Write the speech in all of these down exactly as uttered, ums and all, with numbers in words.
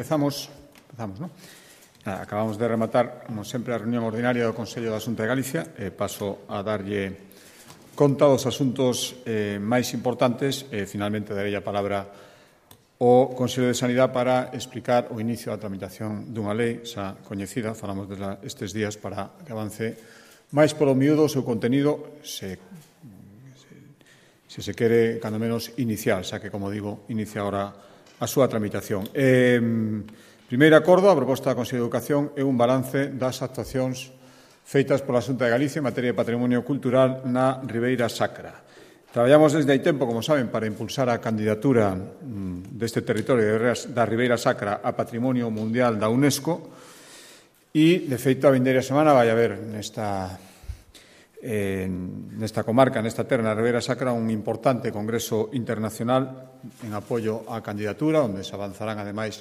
Empezamos, empezamos, ¿no? Acabamos de rematar, como sempre, a reunión ordinaria do Consello da Xunta de Galicia. E paso a darlle conta dos asuntos eh, máis importantes. E, finalmente, darei a palabra ao Consello de Sanidade para explicar o inicio da tramitación dunha lei xa coñecida. Falamos destes días para que avance máis polo miúdo o seu contenido, se, se, se se quere, cando menos, inicial, xa que, como digo, inicia agora a súa tramitación. Eh, primeiro acordo, a proposta da Consello de Educación é un balance das actuacións feitas pola Xunta de Galicia en materia de patrimonio cultural na Ribeira Sacra. Traballamos desde hai tempo, como saben, para impulsar a candidatura deste territorio da Ribeira Sacra a Patrimonio Mundial da UNESCO e, de feito, a vindeira semana vai haber nesta, eh, nesta comarca, nesta terra, na Ribeira Sacra, un importante congreso internacional en apoio á candidatura, onde se avanzarán, ademais,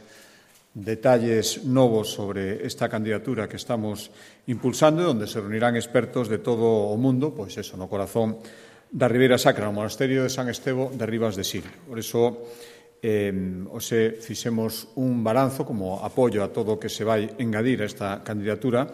detalles novos sobre esta candidatura que estamos impulsando, onde se reunirán expertos de todo o mundo, pois eso, no corazón da Ribeira Sacra, no monasterio de San Estevo de Ribas de Sil. Por iso, eh, ose fixemos un balanzo como apoio a todo o que se vai engadir a esta candidatura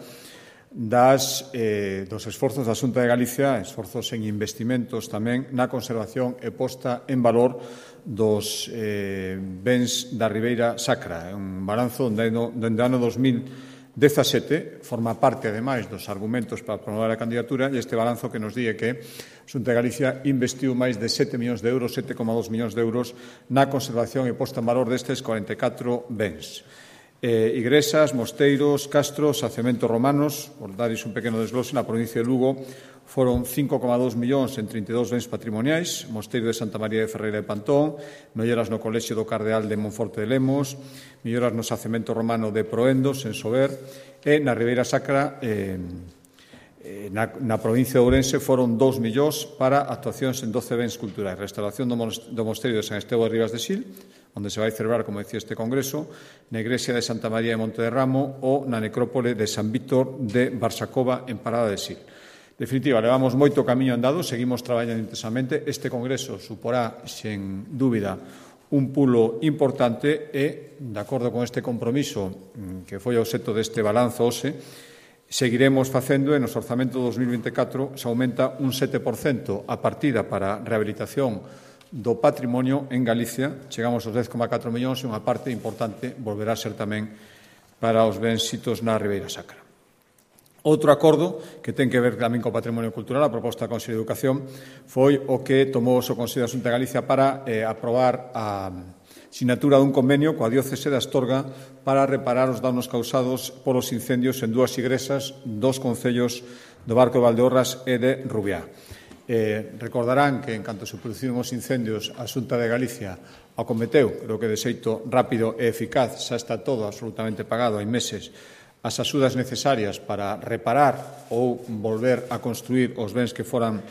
das, eh, dos esforzos da Xunta de Galicia, esforzos en investimentos tamén na conservación e posta en valor dos eh, bens da Ribeira Sacra. É un balanzo onde no, dende o ano dos mil dezasete forma parte, ademais, dos argumentos para promover a candidatura, e este balanzo que nos di que a Xunta de Galicia investiu máis de sete millóns de euros, sete coma dous millóns de euros, na conservación e posta en valor destes corenta e catro bens. Eh, igrexas, mosteiros, castros, sacementos romanos, por dares un pequeno desglose, na provincia de Lugo foron cinco coma dous millóns en trinta e dous bens patrimoniais, mosteiro de Santa María de Ferreira de Pantón, melloras no colexio do Cardeal de Monforte de Lemos, melloras no sacemento romano de Proendos, en Sober, e na Ribeira Sacra, eh, na, na provincia de Ourense, foron dous millóns para actuacións en doce bens culturais, restauración do, do mosteiro de San Estevo de Ribas de Sil, onde se vai celebrar, como decía, este congreso, na igrexa de Santa María de Monte de Ramo ou na necrópole de San Víctor de Barsacova, en Parada de Sil. En definitiva, levamos moito camiño andado, seguimos traballando intensamente. Este congreso suporá, sen dúbida, un pulo importante e, de acordo con este compromiso que foi o obxecto deste balanzo hoxe, seguiremos facendo e nos orzamento dos mil vinte e catro se aumenta un sete por cento a partida para rehabilitación do patrimonio en Galicia, chegamos aos dez coma catro millóns e unha parte importante volverá a ser tamén para os bens sitos na Ribeira Sacra. Outro acordo que ten que ver tamén co patrimonio cultural, a proposta da Consello de Educación, foi o que tomou o Consello da Xunta de Galicia para eh, aprobar a sinatura dun convenio coa diócese de Astorga para reparar os danos causados polos incendios en dúas igrexas dos concellos do Barco de Valdeorras e de Rubiá. Eh, recordarán que, en canto se produciron os incendios, a Xunta de Galicia acometeu, creo que de xeito rápido e eficaz, xa está todo absolutamente pagado, hai meses, as axudas necesarias para reparar ou volver a construir os bens que foran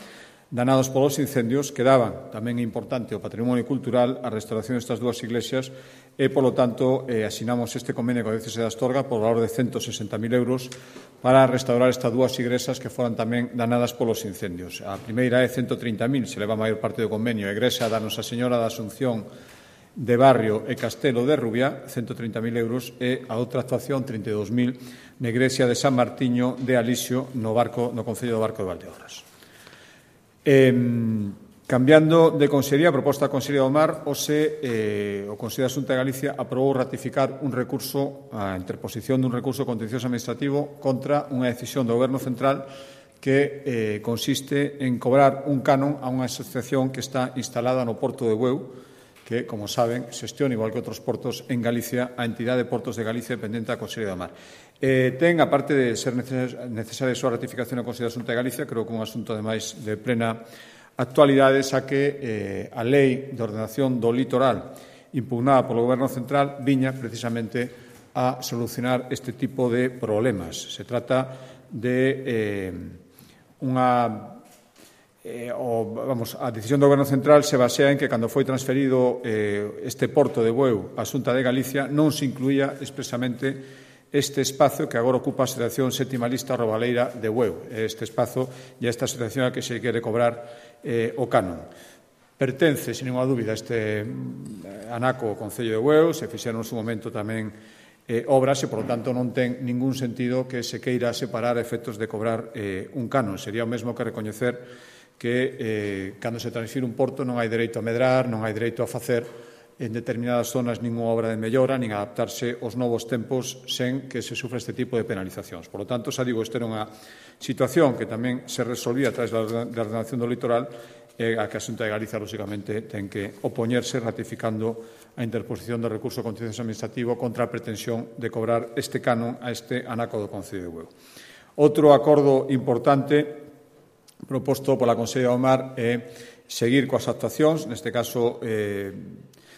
danados polos incendios. Quedaban tamén importante o patrimonio cultural, a restauración destas dúas iglesias e, polo tanto, eh, asinamos este convenio coa diócese de Astorga por valor de ciento sesenta mil euros para restaurar estas dúas igrexas que foran tamén danadas polos incendios. A primeira é ciento trinta mil, se leva a maior parte do convenio, a igrexa da Nosa Señora da Asunción de Barrio e Castelo de Rubiá, ciento trinta mil euros, e a outra actuación, trinta e dous mil, na igrexa de San Martiño de Alixo, no, barco, no concello do Barco de Valdeorras. Eh, cambiando de consellería, a proposta da Consellería do Mar, ose, eh, o Consello da Xunta de Galicia aprobou ratificar un recurso, a interposición dun recurso contencioso administrativo contra unha decisión do Goberno Central que eh, consiste en cobrar un canon a unha asociación que está instalada no Porto de Bueu, que, como saben, xestiona, igual que outros portos en Galicia, a entidade de Portos de Galicia dependente da Consellería do Mar. Eh, ten, aparte de ser necesaria a súa ratificación na Consellería da Xunta de Galicia, creo que un asunto, ademais, de plena actualidade, xa que eh, a Lei de Ordenación do Litoral impugnada polo Goberno Central viña precisamente a solucionar este tipo de problemas. Se trata de eh, unha Eh, o, vamos, a decisión do Goberno Central se basea en que, cando foi transferido eh, este porto de Bueu á Xunta de Galicia, non se incluía expresamente este espazo que agora ocupa a Asociación Sétima Lista Robaleira de Bueu. Este espazo e esta asociación a que se quere cobrar eh, o canon. Pertence, sin ninguna dúbida, este anaco ao Concello de Bueu, se fixeron no seu momento tamén eh, obras e, por lo tanto, non ten ningún sentido que se queira separar efectos de cobrar eh, un canon. Sería o mesmo que recoñecer que eh, cando se transfire un porto non hai dereito a medrar, non hai dereito a facer en determinadas zonas ninguna obra de mellora, nin adaptarse aos novos tempos sen que se sufra este tipo de penalizacións. Por lo tanto, xa digo, esta era unha situación que tamén se resolvía a través da ordenación do litoral e a que a Xunta de Galicia, lógicamente, ten que opoñerse ratificando a interposición do recurso contencioso administrativo contra a pretensión de cobrar este canon a este anaco do Concello de Bueu. Outro acordo importante proposto pola Conselleira do Mar é seguir coas actuacións. Neste caso, eh,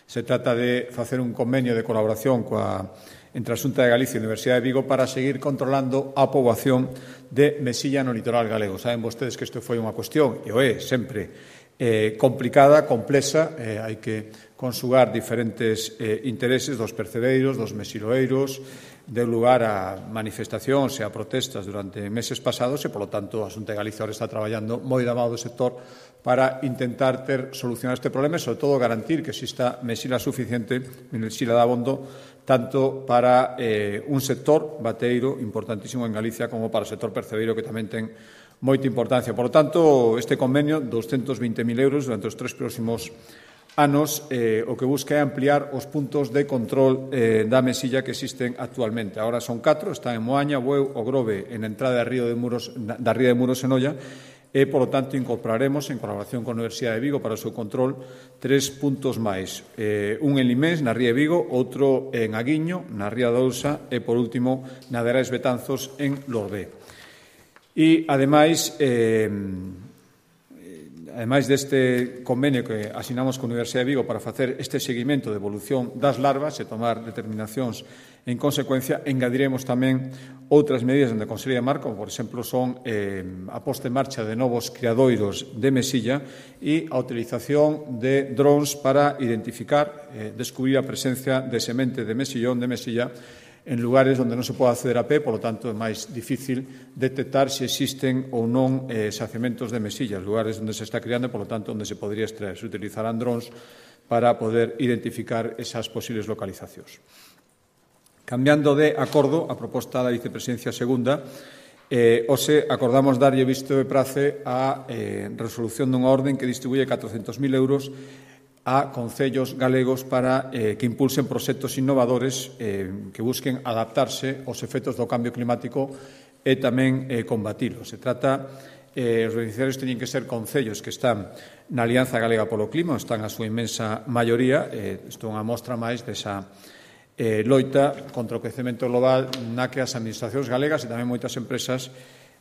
se trata de facer un convenio de colaboración coa, entre a Xunta de Galicia e a Universidade de Vigo para seguir controlando a poboación de mesilla no litoral galego. Saben vostedes que isto foi unha cuestión, e o é sempre, eh, complicada, complexa, eh, hai que consugar diferentes eh, intereses dos percebeiros, dos mesiloeiros, deu lugar a manifestacións e a protestas durante meses pasados e, polo tanto, a Xunta de Galicia ahora está traballando moi da mão do sector para intentar ter solucionar este problema e, sobre todo, garantir que exista mesila suficiente, mesila de abondo, tanto para eh, un sector bateiro importantísimo en Galicia como para o sector percebeiro, que tamén ten moita importancia. Por lo tanto, este convenio, doscientos veinte mil euros durante os tres próximos anos, eh, o que busca é ampliar os puntos de control eh, da mesilla que existen actualmente. Agora son catro, están en Moaña, Bueu, o Grove, en entrada da Río de Muros, da Ría de Muros en Olla, e, por lo tanto, incorporaremos, en colaboración con a Universidade de Vigo para o seu control, tres puntos máis. Eh, un en Limés, na Ría de Vigo, outro en Aguiño, na Ría de Ousa, e, por último, na de Arais Betanzos, en Lorbé. E, ademais, eh, ademais deste convenio que asinamos con a Universidade de Vigo para facer este seguimento de evolución das larvas e tomar determinacións en consecuencia, engadiremos tamén outras medidas onde a Consellería de Mar, como, por exemplo, son eh, a posta en marcha de novos criadoiros de mesilla e a utilización de drones para identificar, eh, descubrir a presencia de semente de mesillón, de mesilla, en lugares onde non se pode acceder a pé, por lo tanto é máis difícil detectar se existen ou non eh, xacementos de mesilla, lugares onde se está criando e, por lo tanto, onde se podría extraer. Se utilizarán drones para poder identificar esas posibles localizacións. Cambiando de acordo, a proposta da vicepresidencia segunda, eh, hoxe acordamos darlle visto de prace a eh, resolución dunha orden que distribuye catrocentos mil euros a concellos galegos para eh, que impulsen proxectos innovadores eh, que busquen adaptarse aos efectos do cambio climático e tamén eh, combatilo. Se trata, eh, os beneficiarios teñen que ser concellos que están na Alianza Galega polo Clima, están a súa inmensa maioría, eh, isto é unha mostra máis desa eh, loita contra o quecemento global na que as administracións galegas e tamén moitas empresas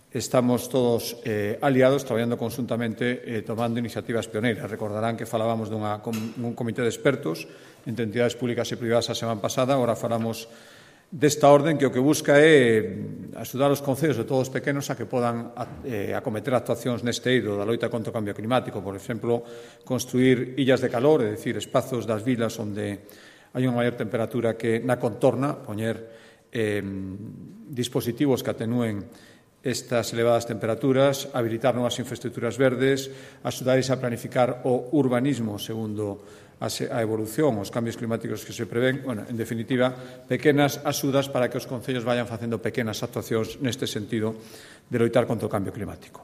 estamos todos eh, aliados, traballando conjuntamente, eh, tomando iniciativas pioneiras. Recordarán que falábamos dunha, un comité de expertos entre entidades públicas e privadas a semana pasada, agora falamos desta orden que o que busca é axudar os concellos de todos os pequenos a que podan eh, acometer actuacións neste eido da loita contra o cambio climático. Por exemplo, construir illas de calor, é dicir, espazos das vilas onde hai unha maior temperatura que na contorna, poñer eh, dispositivos que atenúen estas elevadas temperaturas, habilitar novas infraestructuras verdes, axudares a planificar o urbanismo segundo a evolución, os cambios climáticos que se prevén. Bueno, en definitiva, pequenas axudas para que os concellos vayan facendo pequenas actuacións neste sentido de loitar contra o cambio climático.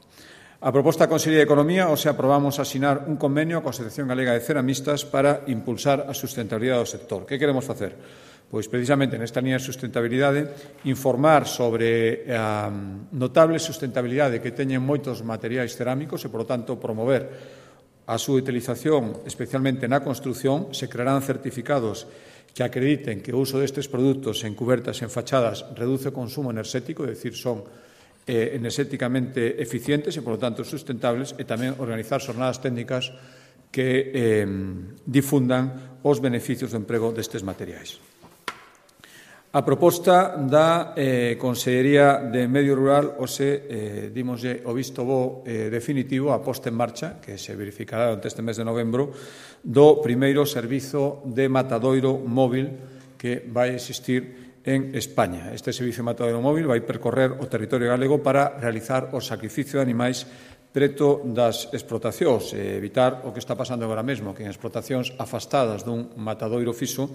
A proposta da Consellería de Economía, hoxe aprobamos asinar un convenio coa Asociación Galega de Ceramistas para impulsar a sustentabilidade do sector. Que queremos facer? Pois, precisamente, nesta línea de sustentabilidade, informar sobre a notable sustentabilidade que teñen moitos materiais cerámicos e, por lo tanto, promover a súa utilización, especialmente na construción. Se crearán certificados que acrediten que o uso destes produtos en cubertas e en fachadas reduce o consumo enerxético, é dicir, son eh, enerxéticamente eficientes e, por lo tanto, sustentables, e tamén organizar xornadas técnicas que eh, difundan os beneficios do emprego destes materiais. A proposta da eh, Consellería de Medio Rural, hoxe, eh, dimoslle o visto bo eh, definitivo, a posta en marcha, que se verificará durante este mes de novembro, do primeiro servizo de matadoiro móvil que vai existir en España. Este servizo de matadoiro móvil vai percorrer o territorio galego para realizar o sacrificio de animais preto das explotacións, e evitar o que está pasando agora mesmo, que en explotacións afastadas dun matadoiro fixo,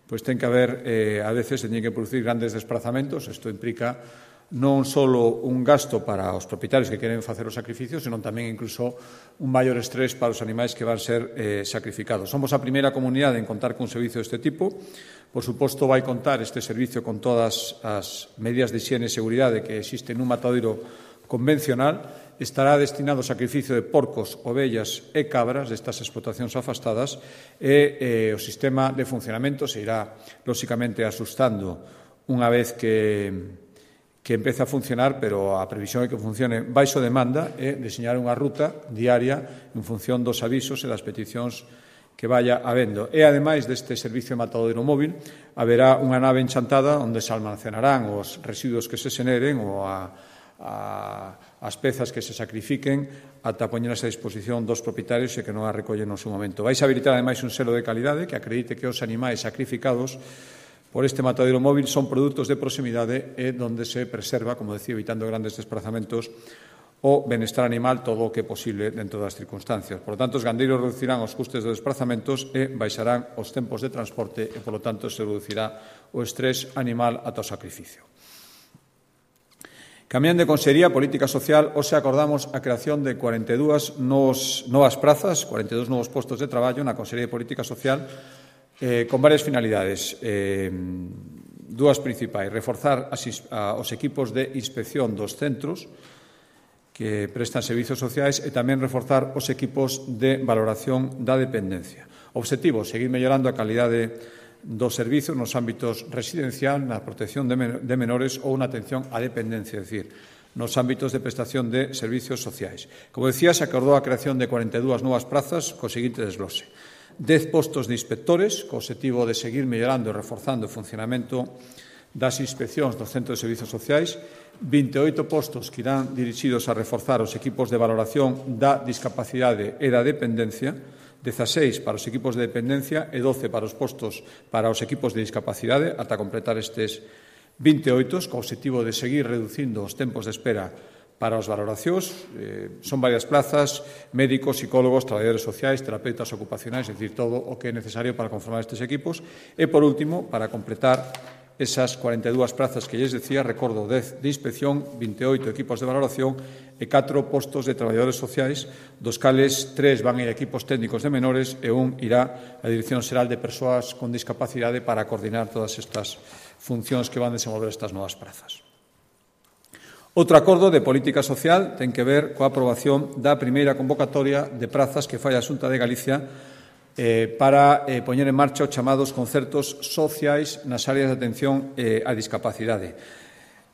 pois ten que haber, eh, a veces, ten que producir grandes desplazamentos. Isto implica non só un gasto para os propietarios que queren facer os sacrificios, senón tamén incluso un maior estrés para os animais que van ser eh, sacrificados. Somos a primeira comunidade en contar cun servicio deste tipo. Por suposto, vai contar este servicio con todas as medidas de higiene e seguridade que existen nun matadoiro convencional. Estará destinado ao sacrificio de porcos, ovellas e cabras destas explotacións afastadas, e eh, o sistema de funcionamento se irá, lóxicamente, asustando unha vez que que empeza a funcionar, pero a previsión é que funcione baixo demanda e deseñar unha ruta diaria en función dos avisos e das peticións que vaya habendo. E, ademais deste servicio de matadoiro móvil, haberá unha nave enchantada onde se almacenarán os residuos que se xeneren ou a, a, as pezas que se sacrifiquen ata poñerse a disposición dos propietarios e que non a recollen no seu momento. Vais habilitar, ademais, un selo de calidade que acredite que os animais sacrificados por este matadoiro móvil son produtos de proximidade e donde se preserva, como decía, evitando grandes desplazamentos, o benestar animal todo o que é posible dentro das circunstancias. Por lo tanto, os gandeiros reducirán os custes dos desplazamentos e baixarán os tempos de transporte e, por lo tanto, se reducirá o estrés animal ata o sacrificio. Cambiando de Consellería Política Social, hoxe acordamos a creación de cuarenta e dúas novas prazas, cuarenta e dous novos postos de traballo na Consellería de Política Social, Eh, con varias finalidades, eh, dúas principais: reforzar as, a, os equipos de inspección dos centros que prestan servizos sociais e tamén reforzar os equipos de valoración da dependencia. Obxectivo: seguir mellorando a calidade dos servizos nos ámbitos residencial, na protección de, men de menores ou na atención á dependencia, é dicir, nos ámbitos de prestación de servizos sociais. Como decía, se acordou a creación de cuarenta e dúas novas prazas co seguinte desglose: dez postos de inspectores, co obxectivo de seguir mellorando e reforzando o funcionamento das inspeccións dos centros de servizos sociais, vinte e oito postos que irán dirixidos a reforzar os equipos de valoración da discapacidade e da dependencia, dezaseis para os equipos de dependencia e doce para os postos para os equipos de discapacidade, ata completar estes vinte e oito, co obxectivo de seguir reducindo os tempos de espera para as valoracións. Eh, son varias plazas: médicos, psicólogos, traballadores sociais, terapeutas ocupacionais, é dicir, todo o que é necesario para conformar estes equipos. E, por último, para completar esas cuarenta e dúas prazas que lles decía, recordo dez de inspección, vinte e oito equipos de valoración e catro postos de traballadores sociais, dos cales tres van a ir a equipos técnicos de menores e un irá á Dirección Xeral de Persoas con Discapacidade para coordinar todas estas funcións que van desenvolver estas novas prazas. Outro acordo de política social ten que ver coa aprobación da primeira convocatoria de prazas que fai a Xunta de Galicia eh, para eh, poñer en marcha os chamados concertos sociais nas áreas de atención eh, á discapacidade.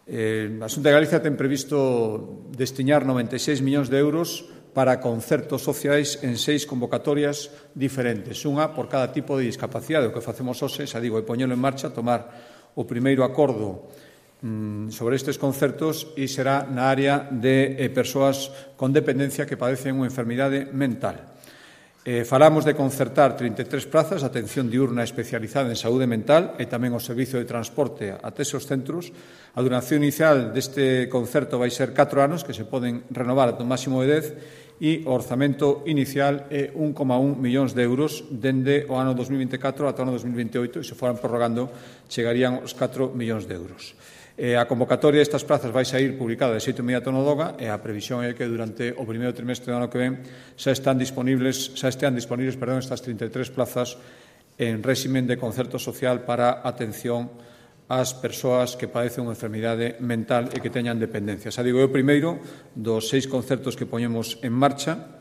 Eh, a Xunta de Galicia ten previsto destinar noventa e seis millóns de euros para concertos sociais en seis convocatorias diferentes, unha por cada tipo de discapacidade. O que facemos hoxe, xa digo, é poñelo en marcha, tomar o primeiro acordo sobre estes concertos, e será na área de eh, persoas con dependencia que padecen unha enfermidade mental. Eh, falamos de concertar trinta e tres plazas de atención diurna especializada en saúde mental e tamén o servizo de transporte ate esos centros. A duración inicial deste concerto vai ser catro anos, que se poden renovar ata un máximo de dez, e o orzamento inicial é un coma un millóns de euros dende o ano dos mil vinte e catro ata o ano dos mil vinte e oito, e se foran prorrogando chegarían os catro millóns de euros. Eh, a convocatoria destas plazas vai sair publicada de xeito inmediato no DOGA, e a previsión é que durante o primeiro trimestre do ano que ven xa están disponibles, xa estean disponibles perdón, estas trinta e tres plazas en réximen de concerto social para atención ás persoas que padecen unha enfermidade mental e que teñan dependencia. Xa digo, é o primeiro dos seis concertos que poñemos en marcha,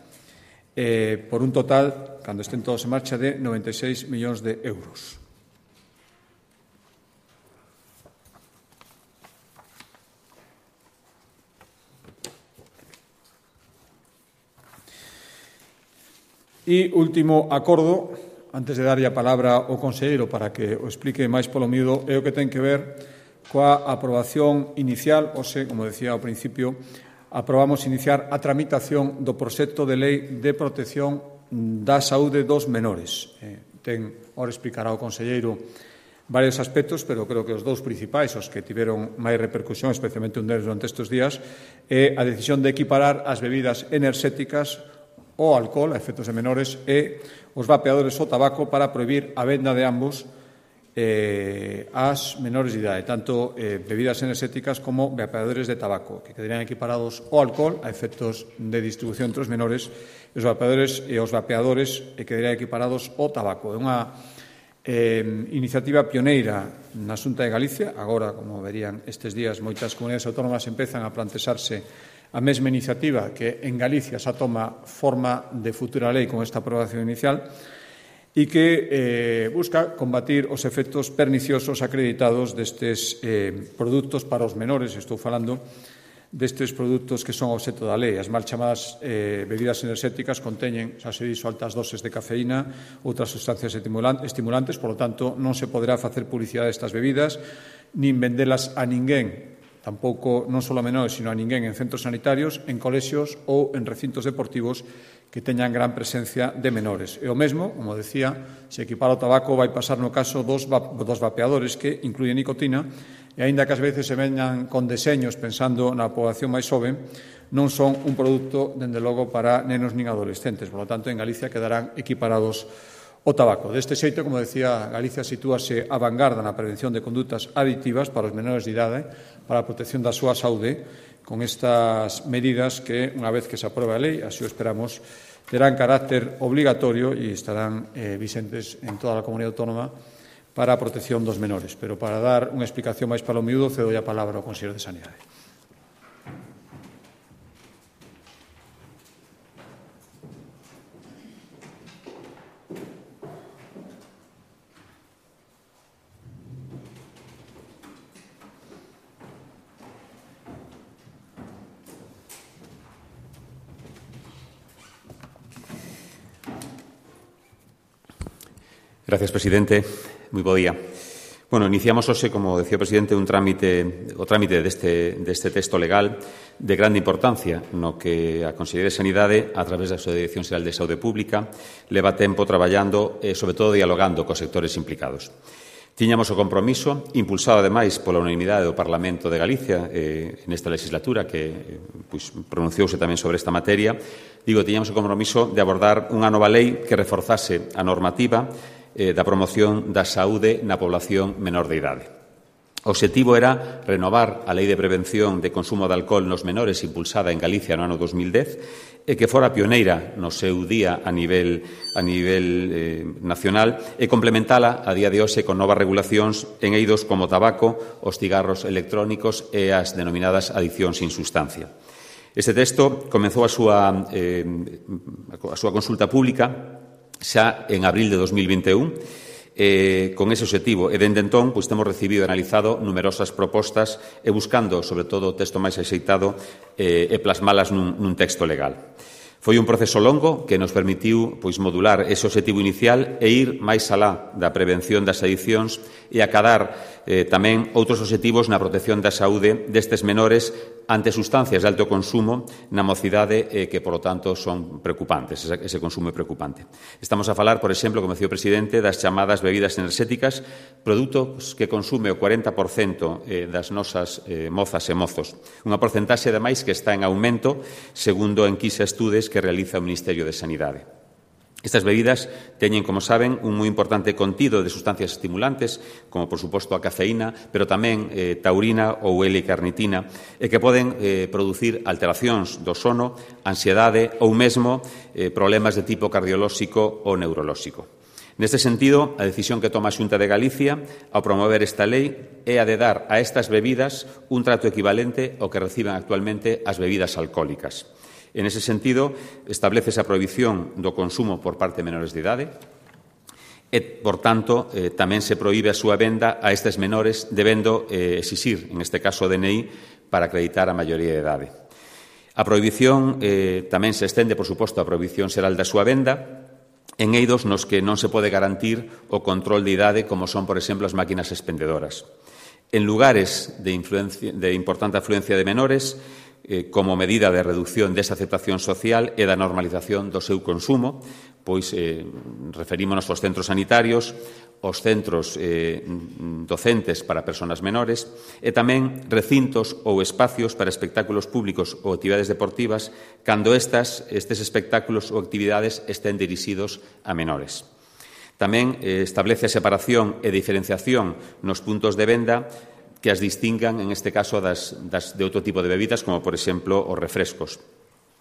eh, por un total, cando estén todos en marcha, de noventa e seis millóns de euros. E último acordo, antes de darlle a palabra ao conselleiro para que o explique máis polo miúdo, é o que ten que ver coa aprobación inicial. Hoxe, como decía ao principio, aprobamos iniciar a tramitación do proxecto de lei de protección da saúde dos menores. Eh, ten, ora explicará o conselleiro varios aspectos, pero creo que os dous principais, os que tiveron máis repercusión, especialmente un deles durante estes días, é a decisión de equiparar as bebidas enerxéticas o alcohol a efectos de menores e os vapeadores o tabaco para prohibir a venda de ambos eh, ás menores de idade, tanto eh, bebidas enerxéticas como vapeadores de tabaco, que quedarían equiparados ao alcohol a efectos de distribución entre os menores, e os vapeadores e os vapeadores eh, quedarían equiparados ao tabaco. É unha Eh, iniciativa pioneira na Xunta de Galicia. Agora, como verían estes días, moitas comunidades autónomas empezan a plantexarse a mesma iniciativa que en Galicia xa toma forma de futura lei con esta aprobación inicial e que eh, busca combatir os efectos perniciosos acreditados destes eh, produtos para os menores. Estou falando destes produtos que son obxecto da lei. As mal chamadas eh, bebidas enerxéticas conteñen, xa se dixo, altas doses de cafeína, outras sustancias estimulantes, por lo tanto, non se poderá facer publicidade destas bebidas, nin vendelas a ninguén, tampouco non só a menores, sino a ninguén en centros sanitarios, en colexios ou en recintos deportivos que teñan gran presencia de menores. E o mesmo, como decía, se equipara o tabaco vai pasar no caso dos, va dos vapeadores que incluyen nicotina, e aínda que ás veces se veñan con deseños pensando na poboación máis xoven, non son un produto, dende logo, para nenos nin adolescentes. Por lo tanto, en Galicia quedarán equiparados o tabaco. Deste xeito, como decía, Galicia sitúase a vanguarda na prevención de condutas adictivas para os menores de idade, para a protección da súa saúde, con estas medidas que, unha vez que se apruebe a lei, así o esperamos, terán carácter obligatorio e estarán eh, vigentes en toda a comunidade autónoma para a protección dos menores. Pero para dar unha explicación máis para o miúdo, cedo a palabra ao Conselleiro de Sanidade. Gracias, presidente. Moi bo día. Bueno, iniciamos hoxe, como decía o presidente, un trámite, o trámite deste, deste texto legal de grande importancia, no que a Consellería de Sanidade, a través da súa Dirección Xeral de Saúde Pública, leva tempo traballando e, sobre todo, dialogando cos sectores implicados. Tiñamos o compromiso, impulsado, ademais, pola unanimidade do Parlamento de Galicia eh, nesta legislatura, que eh, pues, pronunciouse tamén sobre esta materia. Digo, tiñamos o compromiso de abordar unha nova lei que reforzase a normativa eh, da promoción da saúde na población menor de idade. O obxectivo era renovar a Lei de Prevención de Consumo de Alcohol nos Menores impulsada en Galicia no ano dos mil dez e que fora pioneira no seu día a nivel, a nivel eh, nacional e complementala a día de hoxe con novas regulacións en eidos como o tabaco, os cigarros electrónicos e as denominadas adiccións sin sustancia. Este texto comezou a súa, eh, a súa consulta pública xa en abril de dos mil vinte e un, eh, con ese obxectivo. E, dende entón, pois, temos recibido e analizado numerosas propostas e buscando, sobre todo, o texto máis axeitado eh, e plasmalas nun, nun texto legal. Foi un proceso longo que nos permitiu pois, modular ese obxectivo inicial e ir máis alá da prevención das adiccións e acadar eh, tamén outros obxectivos na protección da saúde destes menores ante sustancias de alto consumo na mocidade eh, que, por lo tanto, son preocupantes. Ese, ese consumo é preocupante. Estamos a falar, por exemplo, como decía o presidente, das chamadas bebidas enerxéticas, produtos que consume o cuarenta por cento eh, das nosas eh, mozas e mozos. Unha porcentaxe, ademais, que está en aumento, segundo enquisa estudes que realiza o Ministerio de Sanidade. Estas bebidas teñen, como saben, un moi importante contido de sustancias estimulantes, como, por suposto, a cafeína, pero tamén eh, taurina ou L-carnitina, e que poden eh, producir alteracións do sono, ansiedade ou mesmo eh, problemas de tipo cardiolóxico ou neurolóxico. Neste sentido, a decisión que toma a Xunta de Galicia ao promover esta lei é a de dar a estas bebidas un trato equivalente ao que reciben actualmente as bebidas alcohólicas. En ese sentido, establece a prohibición do consumo por parte de menores de idade e, por tanto, eh, tamén se proíbe a súa venda a estes menores debendo eh, exixir, en este caso, o D N I para acreditar a maioría de idade. A prohibición eh, tamén se estende, por suposto, a prohibición xeral da súa venda en eidos nos que non se pode garantir o control de idade, como son, por exemplo, as máquinas expendedoras. En lugares de, influencia, de importante afluencia de menores, eh, como medida de reducción desa aceptación social e da normalización do seu consumo, pois eh, referímonos aos centros sanitarios os centros eh, docentes para persoas menores e tamén recintos ou espacios para espectáculos públicos ou actividades deportivas cando estas, estes espectáculos ou actividades estén dirixidos a menores. Tamén eh, establece a separación e diferenciación nos puntos de venda que as distingan, en este caso, das, das de outro tipo de bebidas, como, por exemplo, os refrescos.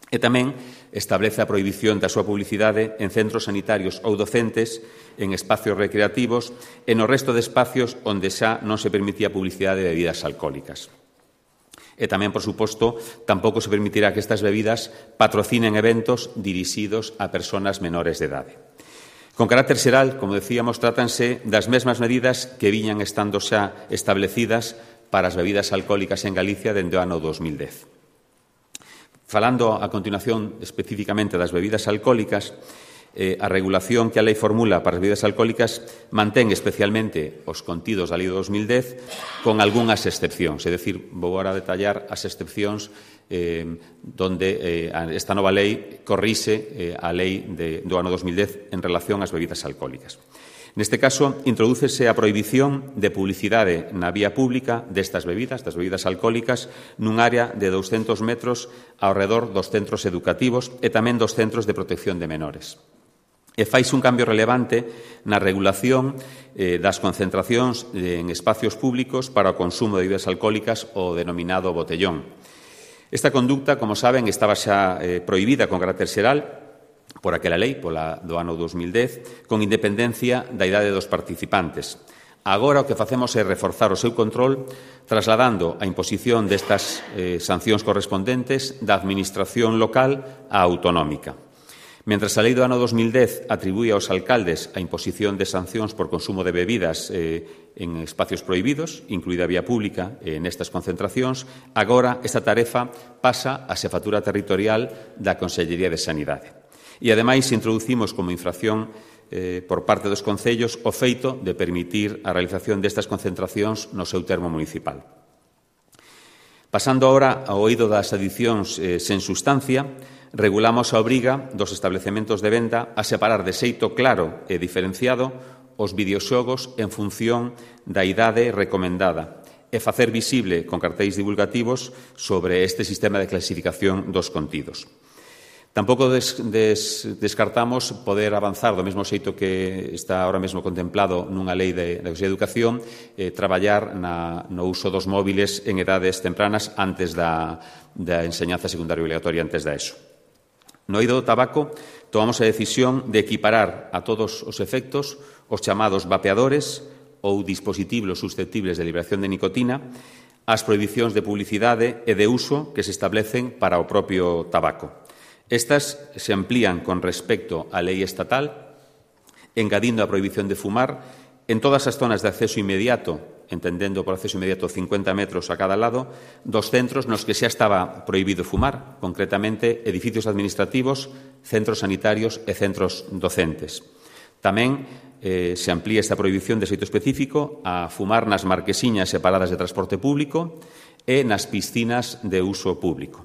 E tamén establece a prohibición da súa publicidade en centros sanitarios ou docentes, en espacios recreativos e no resto de espacios onde xa non se permitía publicidade de bebidas alcohólicas. E tamén, por suposto, tampouco se permitirá que estas bebidas patrocinen eventos dirixidos a persoas menores de idade. Con carácter xeral, como decíamos, trátanse das mesmas medidas que viñan estando xa establecidas para as bebidas alcohólicas en Galicia dende o ano dos mil dez. Falando a continuación especificamente das bebidas alcohólicas, eh, a regulación que a lei formula para as bebidas alcohólicas mantén especialmente os contidos da lei do dos mil dez con algunhas excepcións, é dicir, vou agora detallar as excepcións eh, donde eh, esta nova lei corrixe eh, a lei de, do ano dos mil dez en relación ás bebidas alcohólicas. Neste caso, introdúcese a prohibición de publicidade na vía pública destas bebidas, das bebidas alcohólicas, nun área de douscentos metros ao redor dos centros educativos e tamén dos centros de protección de menores. E faise un cambio relevante na regulación eh, das concentracións en espacios públicos para o consumo de bebidas alcohólicas, o denominado botellón. Esta conducta, como saben, estaba xa eh, prohibida con carácter xeral por aquela lei, pola do ano dos mil dez, con independencia da idade dos participantes. Agora o que facemos é reforzar o seu control trasladando a imposición destas eh, sancións correspondentes da administración local á autonómica. Mentras a lei do ano dos mil dez atribúe aos alcaldes a imposición de sancións por consumo de bebidas eh, en espacios prohibidos, incluída a vía pública eh, nestas concentracións, agora esta tarefa pasa á xefatura territorial da Consellería de Sanidade. E, ademais, introducimos como infracción eh, por parte dos concellos o feito de permitir a realización destas concentracións no seu termo municipal. Pasando agora ao oído das adicións eh, sen sustancia, regulamos a obriga dos establecementos de venda a separar de xeito claro e diferenciado os videoxogos en función da idade recomendada e facer visible con cartéis divulgativos sobre este sistema de clasificación dos contidos. Tampouco des, des, descartamos poder avanzar do mesmo xeito que está ahora mesmo contemplado nunha lei de, de educación, eh, traballar na, no uso dos móviles en edades tempranas antes da, da enseñanza secundaria obligatoria, antes da ESO. No eido do tabaco, tomamos a decisión de equiparar a todos os efectos os chamados vapeadores ou dispositivos susceptibles de liberación de nicotina ás prohibicións de publicidade e de uso que se establecen para o propio tabaco. Estas se amplían con respecto á lei estatal, engadindo a prohibición de fumar en todas as zonas de acceso inmediato, entendendo por acceso inmediato cincuenta metros a cada lado, dos centros nos que xa estaba prohibido fumar, concretamente edificios administrativos, centros sanitarios e centros docentes. Tamén eh, se amplía esta prohibición de xeito específico a fumar nas marquesiñas separadas de transporte público e nas piscinas de uso público.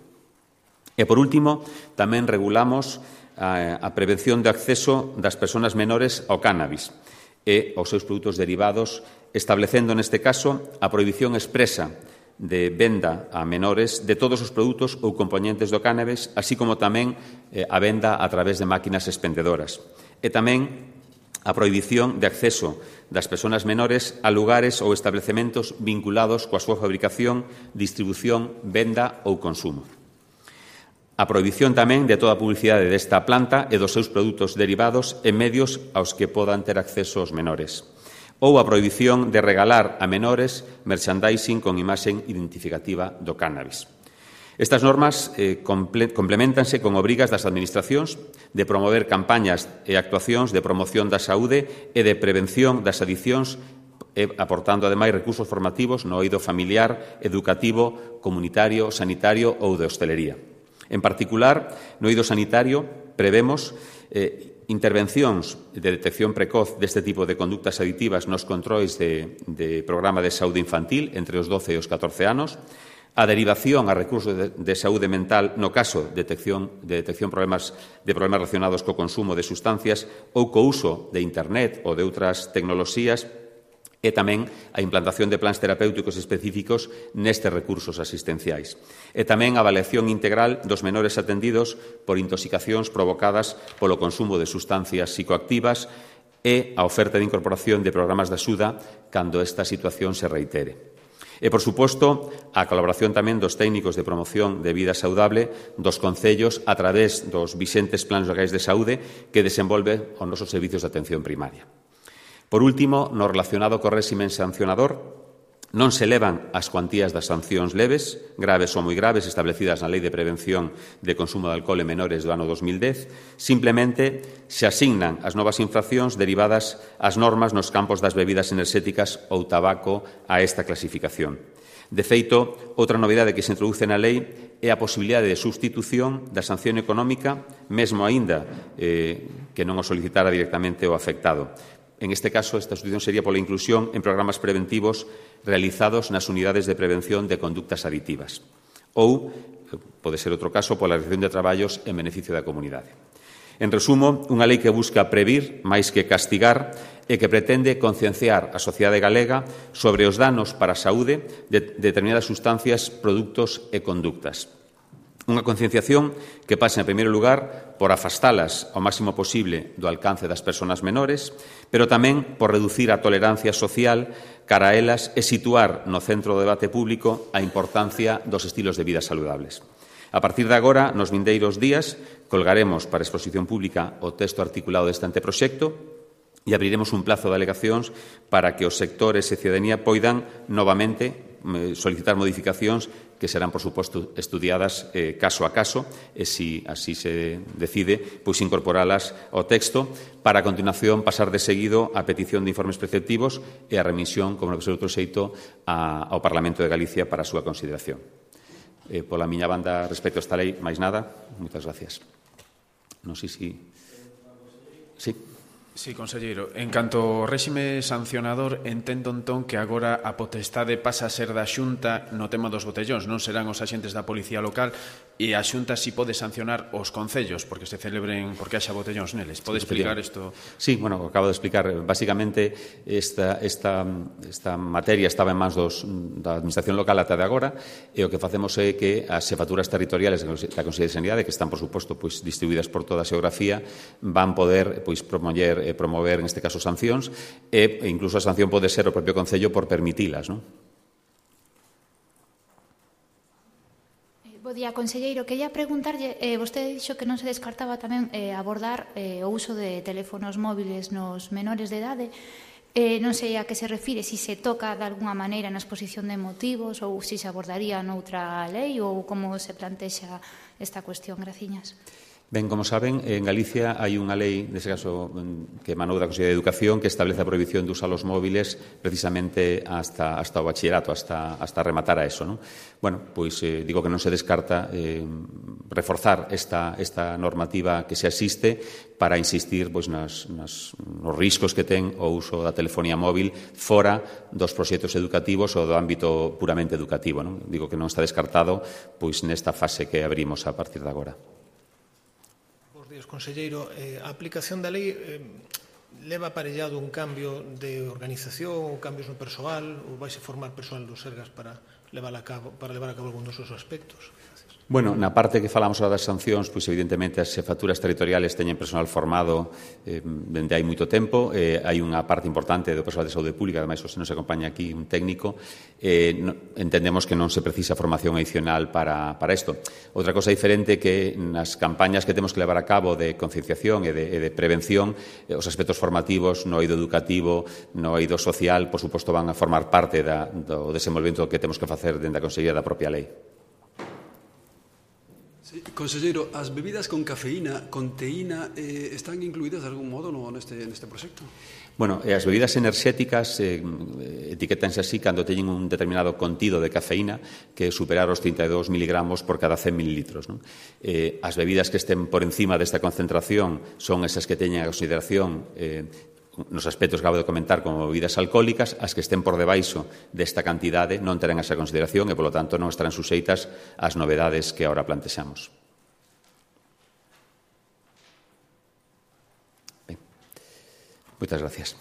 E, por último, tamén regulamos a, a prevención de acceso das persoas menores ao cannabis e aos seus produtos derivados, establecendo, neste caso, a prohibición expresa de venda a menores de todos os produtos ou componentes do cannabis, así como tamén eh, a venda a través de máquinas expendedoras. E tamén a prohibición de acceso das persoas menores a lugares ou establecementos vinculados coa súa fabricación, distribución, venda ou consumo. A prohibición tamén de toda a publicidade desta planta e dos seus produtos derivados en medios aos que podan ter acceso os menores. Ou a prohibición de regalar a menores merchandising con imaxe identificativa do cannabis. Estas normas eh, comple complementanse con obrigas das administracións de promover campañas e actuacións de promoción da saúde e de prevención das adiccións, e aportando, ademais, recursos formativos no eido familiar, educativo, comunitario, sanitario ou de hostelería. En particular, no eido sanitario, prevemos eh, intervencións de detección precoz deste tipo de conductas adictivas nos controis de, de programa de saúde infantil entre os doce e os catorce anos, A derivación a recursos de, de saúde mental no caso de detección, de detección problemas, de problemas relacionados co consumo de sustancias ou co uso de Internet ou de outras tecnoloxías, e tamén a implantación de plans terapéuticos específicos nestes recursos asistenciais. E tamén a avaliación integral dos menores atendidos por intoxicacións provocadas polo consumo de sustancias psicoactivas e a oferta de incorporación de programas de axuda cando esta situación se reitere. E, por suposto, a colaboración tamén dos técnicos de promoción de vida saudable dos concellos a través dos vixentes plans locais de saúde que desenvolve os nosos servizos de atención primaria. Por último, no relacionado co réximen sancionador, non se elevan as cuantías das sancións leves, graves ou moi graves, establecidas na Lei de Prevención de Consumo de Alcohol en Menores do ano dos mil dez, simplemente se asignan as novas infraccións derivadas ás normas nos campos das bebidas enerxéticas ou tabaco a esta clasificación. De feito, outra novidade que se introduce na lei é a posibilidade de substitución da sanción económica, mesmo aínda eh, que non o solicitara directamente o afectado. En este caso, esta sustitución sería pola inclusión en programas preventivos realizados nas unidades de prevención de conductas aditivas. Ou, pode ser outro caso, pola realización de traballos en beneficio da comunidade. En resumo, unha lei que busca previr máis que castigar e que pretende concienciar a sociedade galega sobre os danos para a saúde de determinadas sustancias, produtos e conductas. Unha concienciación que pasa, en primeiro lugar, por afastalas ao máximo posible do alcance das persoas menores, pero tamén por reducir a tolerancia social cara a elas e situar no centro do debate público a importancia dos estilos de vida saludables. A partir de agora, nos vindeiros días, colgaremos para exposición pública o texto articulado deste anteproxecto e abriremos un plazo de alegacións para que os sectores e cidadanía poidan novamente solicitar modificacións que serán, por suposto, estudiadas eh, caso a caso e, se si así se decide, pois incorporalas ao texto para, a continuación, pasar de seguido a petición de informes preceptivos e a remisión, como no que ser outro xeito, a, ao Parlamento de Galicia para a súa consideración. Eh, pola miña banda, respecto a esta lei, máis nada. Moitas gracias. Non sei se... Sí. Sí, conselleiro. En canto ao réxime sancionador, entendo entón que agora a potestade pasa a ser da Xunta no tema dos botellóns, non serán os axentes da Policía Local, e a Xunta si pode sancionar os concellos porque se celebren, porque haxa botellóns neles. Pode explicar isto? Sí, bueno, acabo de explicar. Básicamente, esta, esta, esta materia estaba en mans dos, da Administración Local ata de agora, e o que facemos é que as xefaturas territoriales da Consellería de Sanidade, que están, por suposto, pois, distribuídas por toda a xeografía, van poder pois, promover e promover, en este caso, sancións, e incluso a sanción pode ser o propio Concello por permitilas, non? Bo día, conselleiro. Quería preguntarlle, eh, vostede dixo que non se descartaba tamén eh, abordar eh, o uso de teléfonos móviles nos menores de idade. Eh, non sei a que se refire, se se toca de alguna maneira na exposición de motivos ou se se abordaría noutra lei ou como se plantexa esta cuestión. Graciñas. Ben, como saben, en Galicia hai unha lei, nese caso, que emanou da Consellería de Educación, que establece a prohibición de usar os móviles precisamente hasta, hasta o bachillerato, hasta, hasta rematar a eso, non? Bueno, pois eh, digo que non se descarta eh, reforzar esta, esta normativa que se existe para insistir pois, nas, nas, nos riscos que ten o uso da telefonía móvil fora dos proxectos educativos ou do ámbito puramente educativo, non? Digo que non está descartado pois nesta fase que abrimos a partir de agora. Conselleiro, eh, a aplicación da lei eh, leva aparellado un cambio de organización ou cambios no persoal ou vais a formar persoal do Sergas para levar a cabo, para levar a cabo algún dos seus aspectos? Bueno, na parte que falamos ahora das sancións, pois evidentemente as xefaturas territoriales teñen personal formado eh, dende hai moito tempo, eh, hai unha parte importante do persoal de saúde pública, ademais se nos acompaña aquí un técnico, eh, no, entendemos que non se precisa formación adicional para, para isto. Outra cosa diferente que nas campañas que temos que levar a cabo de concienciación e de, e de prevención, eh, os aspectos formativos no eido educativo, no eido social, por suposto, van a formar parte da, do desenvolvemento que temos que facer dentro da Consellería da propia lei. Conselleiro, as bebidas con cafeína, con teína, eh, están incluídas de algún modo no, neste, neste proxecto? Bueno, as bebidas enerxéticas eh, etiquetanse así cando teñen un determinado contido de cafeína que é superar os trinta e dous miligramos por cada cen mililitros. Non? Eh, as bebidas que estén por encima desta concentración son esas que teñen a consideración eh, nos aspectos que acabo de comentar como bebidas alcohólicas, as que estén por debaixo desta cantidade non terán esa consideración e, polo tanto, non estarán suxeitas ás novedades que agora plantexamos. Ben. Moitas gracias.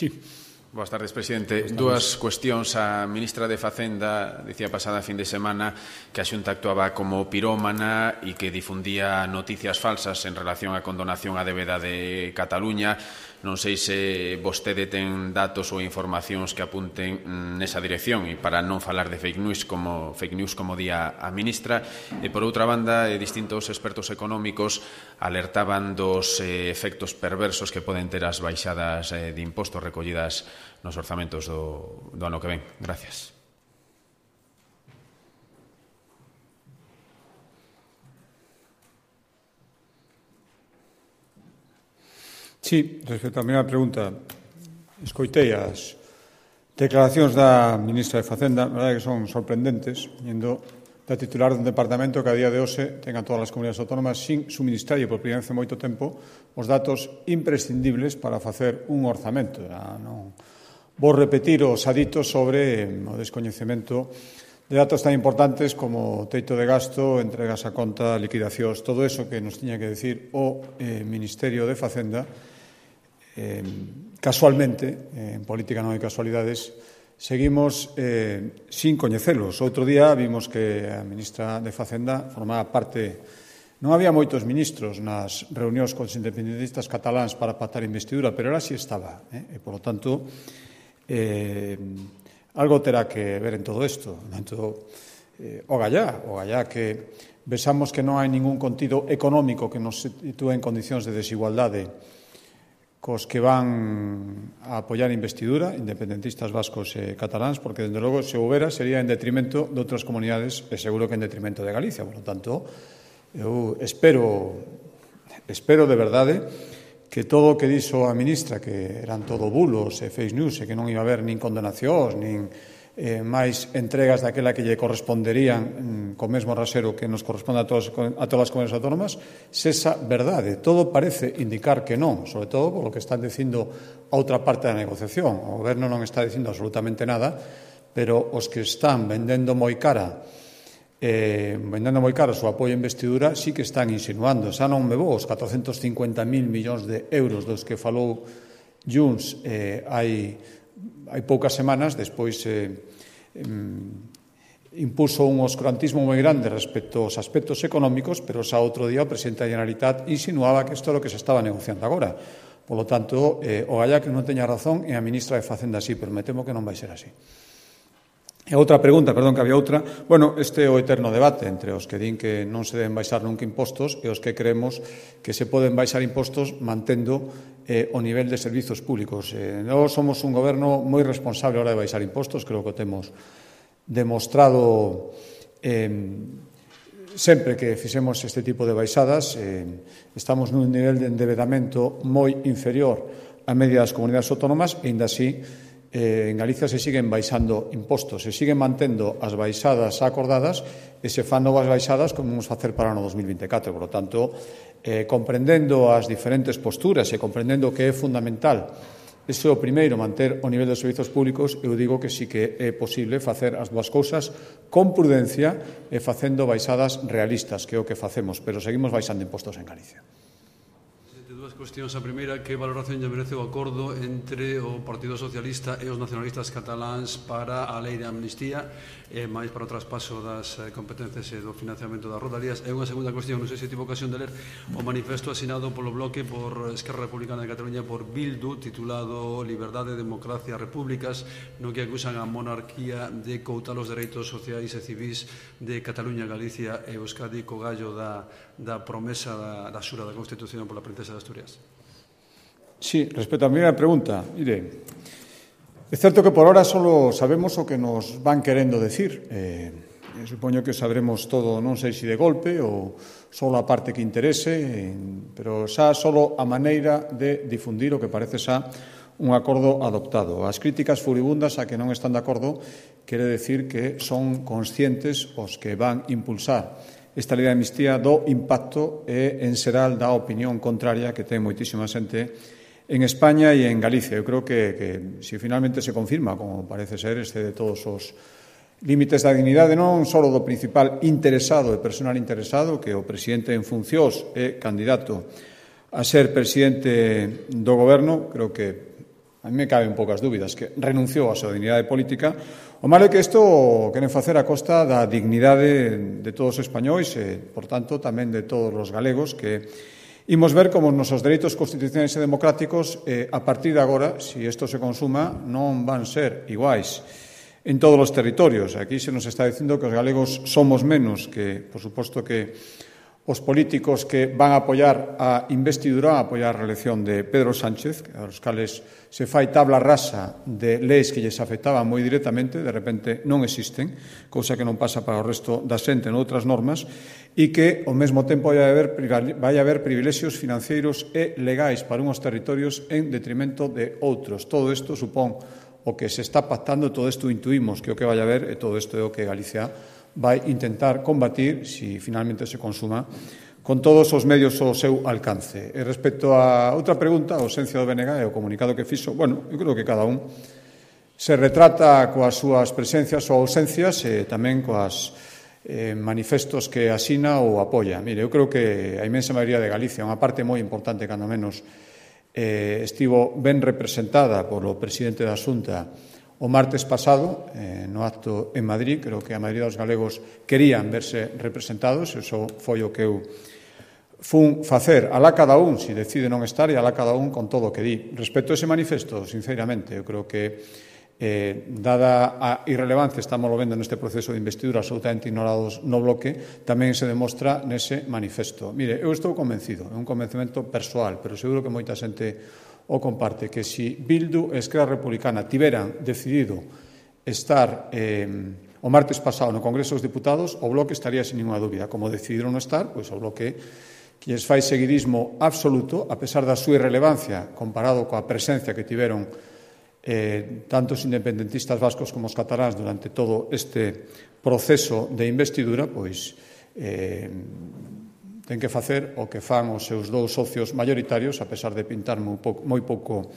Sí. Boas tardes, presidente. Dúas cuestións. A ministra de Facenda dicía pasada fin de semana que a Xunta actuaba como pirómana e que difundía noticias falsas en relación á condonación á débeda de Cataluña. Non sei se vostede ten datos ou informacións que apunten nesa dirección e para non falar de fake news como fake news como día a ministra. E por outra banda, distintos expertos económicos alertaban dos eh, efectos perversos que poden ter as baixadas eh, de impostos recollidas nos orzamentos do, do ano que ven. Gracias. Sí, respecto á primeira pregunta, escoitei as declaracións da ministra de Facenda, a verdade que son sorprendentes, vindo da titular dun departamento que a día de hoxe ten a todas as comunidades autónomas sin suministrar por primeira vez en moito tempo os datos imprescindibles para facer un orzamento. Non vou repetir os aditos sobre o descoñecemento de datos tan importantes como teito de gasto, entregas a conta, liquidacións, todo eso que nos tiña que decir o eh, Ministerio de Facenda. Eh, casualmente, eh, en política non hai casualidades, seguimos eh, sin coñecelos. Outro día vimos que a ministra de Facenda formaba parte. Non había moitos ministros nas reunións cos independentistas cataláns para pactar investidura, pero ela sí estaba. Eh? E, por lo tanto, eh, algo terá que ver en todo isto. Tanto, eh, o gallá, o gallá que vexamos que non hai ningún contido económico que nos sitúe en condicións de desigualdade cos que van a apoiar a investidura, independentistas vascos e cataláns, porque, dende logo, se houbera, sería en detrimento de outras comunidades e seguro que en detrimento de Galicia. Por lo tanto, eu espero, espero de verdade que todo o que dixo a ministra, que eran todo bulos e fake news e que non iba a haber nin condenacións, nin eh, máis entregas daquela que lle corresponderían mm, co mesmo rasero que nos corresponde a, todos, a todas as comunidades autónomas, sesa verdade. Todo parece indicar que non, sobre todo por lo que están dicindo a outra parte da negociación. O goberno non está dicindo absolutamente nada, pero os que están vendendo moi cara eh, vendendo moi cara o seu apoio a investidura sí que están insinuando. Xa non me vou os catrocentos cincuenta mil millóns de euros dos que falou Junts eh, hai hai poucas semanas, despois eh, impuso un oscurantismo moi grande respecto aos aspectos económicos, pero xa outro día o presidente da Generalitat insinuaba que isto é o que se estaba negociando agora. Por lo tanto, eh, o galla que non teña razón e a ministra de Facenda sí, pero me temo que non vai ser así. E outra pregunta, perdón, que había outra. Bueno, este é o eterno debate entre os que din que non se deben baixar nunca impostos e os que creemos que se poden baixar impostos mantendo eh, o nivel de servizos públicos. Eh, nós somos un goberno moi responsable a hora de baixar impostos, creo que o temos demostrado eh, sempre que fixemos este tipo de baixadas. Eh, estamos nun nivel de endevedamento moi inferior á media das comunidades autónomas e, ainda así, Eh, en Galicia se siguen baixando impostos, se siguen mantendo as baixadas acordadas e se fan novas baixadas como vamos facer para o ano dos mil vinte e catro. Por lo tanto, eh, comprendendo as diferentes posturas e comprendendo que é fundamental ese é o primeiro, manter o nivel dos servizos públicos, eu digo que sí que é posible facer as dúas cousas con prudencia e facendo baixadas realistas, que é o que facemos, pero seguimos baixando impostos en Galicia. Cuestións. A primeira, que valoración lle merece o acordo entre o Partido Socialista e os nacionalistas cataláns para a lei de amnistía e máis para o traspaso das competencias e do financiamento das rodalías? E unha segunda cuestión, non sei se tive ocasión de ler o manifesto asinado polo bloque por Esquerra Republicana de Cataluña por Bildu, titulado Liberdade, Democracia, Repúblicas, no que acusan a monarquía de coutar os dereitos sociais e civis de Cataluña, Galicia e Euskadi co gallo da, da promesa da, da xura da Constitución pola princesa de Asturias. Sí, respecto a a primeira pregunta, mire, é certo que por ahora só sabemos o que nos van querendo decir. Eh, supoño que sabremos todo, non sei se de golpe ou só a parte que interese, eh, pero xa só a maneira de difundir o que parece xa un acordo adoptado. As críticas furibundas a que non están de acordo quere decir que son conscientes os que van impulsar esta lei de amnistía do impacto e en xeral da opinión contraria que ten moitísima xente en España e en Galicia. Eu creo que, que se finalmente se confirma, como parece ser, este de todos os límites da dignidade, non só do principal interesado e personal interesado, que o presidente en funcións é candidato a ser presidente do goberno, creo que a mí me caben poucas dúbidas, que renunciou á súa dignidade política. O malo é que isto queren facer a costa da dignidade de todos os españois e, por tanto, tamén de todos os galegos, que imos ver como os nosos dereitos constitucionais e democráticos, eh, a partir de agora, se isto se consuma, non van ser iguais en todos os territorios. Aquí se nos está dicindo que os galegos somos menos, que, por suposto, que os políticos que van a apoiar a investidura, a apoiar a reelección de Pedro Sánchez, aos cales se fai tabla rasa de leis que lles afectaban moi directamente, de repente non existen, cousa que non pasa para o resto da xente noutras normas, e que, ao mesmo tempo, vai haber, vai haber privilexios financeiros e legais para unhos territorios en detrimento de outros. Todo isto supón o que se está pactando, todo isto intuimos que o que vai haber, e todo isto é o que Galicia vai intentar combatir, se finalmente se consuma, con todos os medios ao seu alcance. E respecto a outra pregunta, a ausencia do B N G e o comunicado que fixo, bueno, eu creo que cada un se retrata coas súas presencias ou ausencias e tamén coas eh, manifestos que asina ou apoia. Mire, eu creo que a inmensa maioría de Galicia, unha parte moi importante, cando menos, eh, estivo ben representada polo presidente da Xunta o martes pasado, eh, no acto en Madrid. Creo que a maioría dos galegos querían verse representados, eso foi o que eu fun facer. Alá cada un, se decide non estar, e alá cada un con todo o que di. Respecto a ese manifesto, sinceramente, eu creo que, eh, dada a irrelevancia, estamos vendo neste proceso de investidura absolutamente ignorados no bloque, tamén se demostra nese manifesto. Mire, eu estou convencido, é un convencimento persoal, pero seguro que moita xente o comparte, que se Bildu e Esquerra Republicana tiveran decidido estar eh, o martes pasado no Congreso dos Diputados, o Bloque estaría sin ninguna dúbida. Como decidiron non estar, pois o Bloque, que lles fai seguidismo absoluto, a pesar da súa irrelevancia comparado coa presencia que tiveron eh, tanto os independentistas vascos como os cataláns durante todo este proceso de investidura, pois eh, ten que facer o que fan os seus dous socios maioritarios, a pesar de pintar moi pouco, moi pouco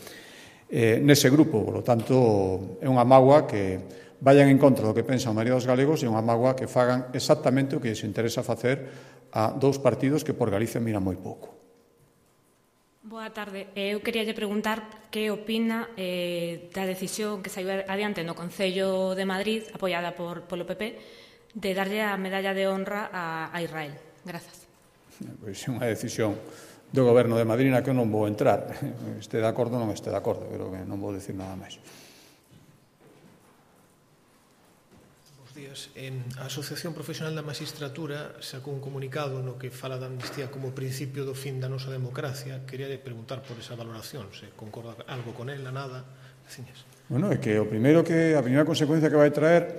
eh, nese grupo. Por lo tanto, é unha mágoa que vayan en contra do que pensan a maioría dos galegos e unha mágoa que fagan exactamente o que lles interesa facer a dous partidos que por Galicia miran moi pouco. Boa tarde. Eu quería lle preguntar que opina eh, da decisión que saiu adiante no Concello de Madrid, apoiada por, polo P P, de darlle a medalla de honra a, a Israel. Grazas. Pois é unha decisión do Goberno de Madrid na que eu non vou entrar. Este de acordo non este de acordo, creo que non vou decir nada máis. Bos días. A Asociación Profesional da Magistratura sacou un comunicado no que fala da amnistía como principio do fin da nosa democracia. Quería preguntar por esa valoración, se concorda algo con ela, nada. Ciñas. Bueno, é que o primeiro que a primeira consecuencia que vai traer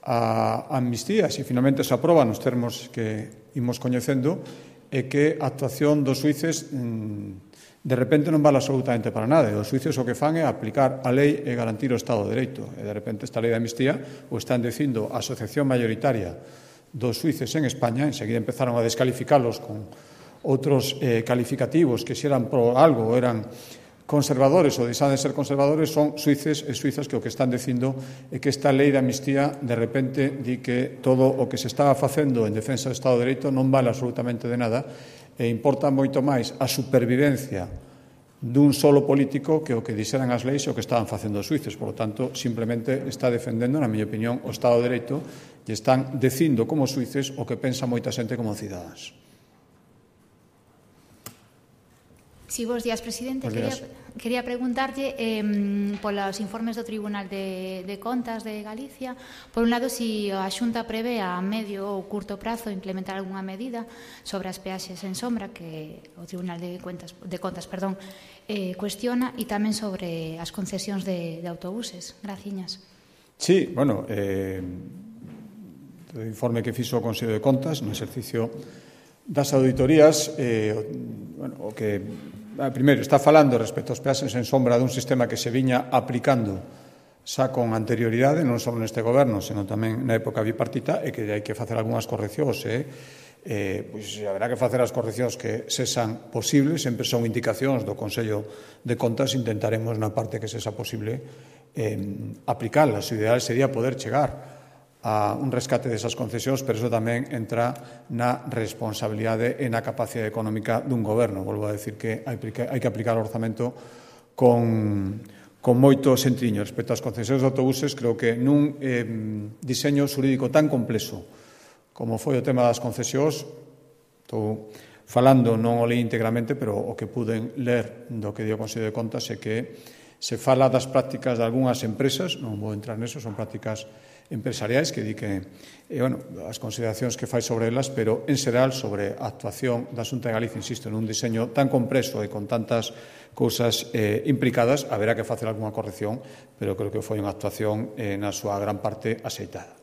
a amnistía, se finalmente se aproba nos termos que imos coñecendo, é que a actuación dos xuíces de repente non vale absolutamente para nada. Os xuíces o que fan é aplicar a lei e garantir o Estado de Dereito. E de repente esta lei de amnistía o están dicindo a asociación mayoritaria dos xuíces en España. Enseguida empezaron a descalificalos con outros eh, calificativos que se eran pro algo ou eran conservadores ou deixan de ser conservadores. Son suíces e suizas que o que están dicindo é que esta lei de amnistía de repente di que todo o que se estaba facendo en defensa do Estado de Dereito non vale absolutamente de nada e importa moito máis a supervivencia dun solo político que o que dixeran as leis e o que estaban facendo os suíces. Por lo tanto, simplemente está defendendo, na miña opinión, o Estado de Dereito e están dicindo como suíces o que pensa moita xente como cidadáns. Sí, bos días, presidente. Bos días. Quería... quería preguntarlle eh, polos informes do Tribunal de, de Contas de Galicia, por un lado, si a Xunta prevé a medio ou curto prazo implementar algunha medida sobre as peaxes en sombra que o Tribunal de Contas, de Contas perdón, eh, cuestiona, e tamén sobre as concesións de, de autobuses. Graciñas. Sí, bueno, eh, o informe que fixo o Consello de Contas no exercicio das auditorías, eh, bueno, o que, primeiro, está falando respecto aos peaxes en sombra dun sistema que se viña aplicando xa con anterioridade, non só neste goberno, senón tamén na época bipartita, e que hai que facer algunhas correccións, e eh, pois haberá que facer as correccións que sexan posibles, sempre son indicacións do Consello de Contas, intentaremos na parte que sexa posible eh, aplicalas. O ideal sería poder chegar a un rescate desas concesións, pero iso tamén entra na responsabilidade e na capacidade económica dun goberno. Volvo a decir que hai que aplicar o orzamento con, con moito sentriño. Respecto ás concesións de autobuses, creo que nun eh, diseño xurídico tan complexo como foi o tema das concesións, estou falando, non o leí íntegramente, pero o que puden ler do que dio o Consello de Contas é que se fala das prácticas de algunhas empresas, non vou entrar neso, son prácticas empresariais que di que, eh, bueno, as consideracións que fai sobre elas, pero en xeral sobre a actuación da Xunta de Galicia, insisto, nun diseño tan complexo e con tantas cousas eh, implicadas, haberá que facer algunha corrección, pero creo que foi unha actuación eh, na súa gran parte axeitada.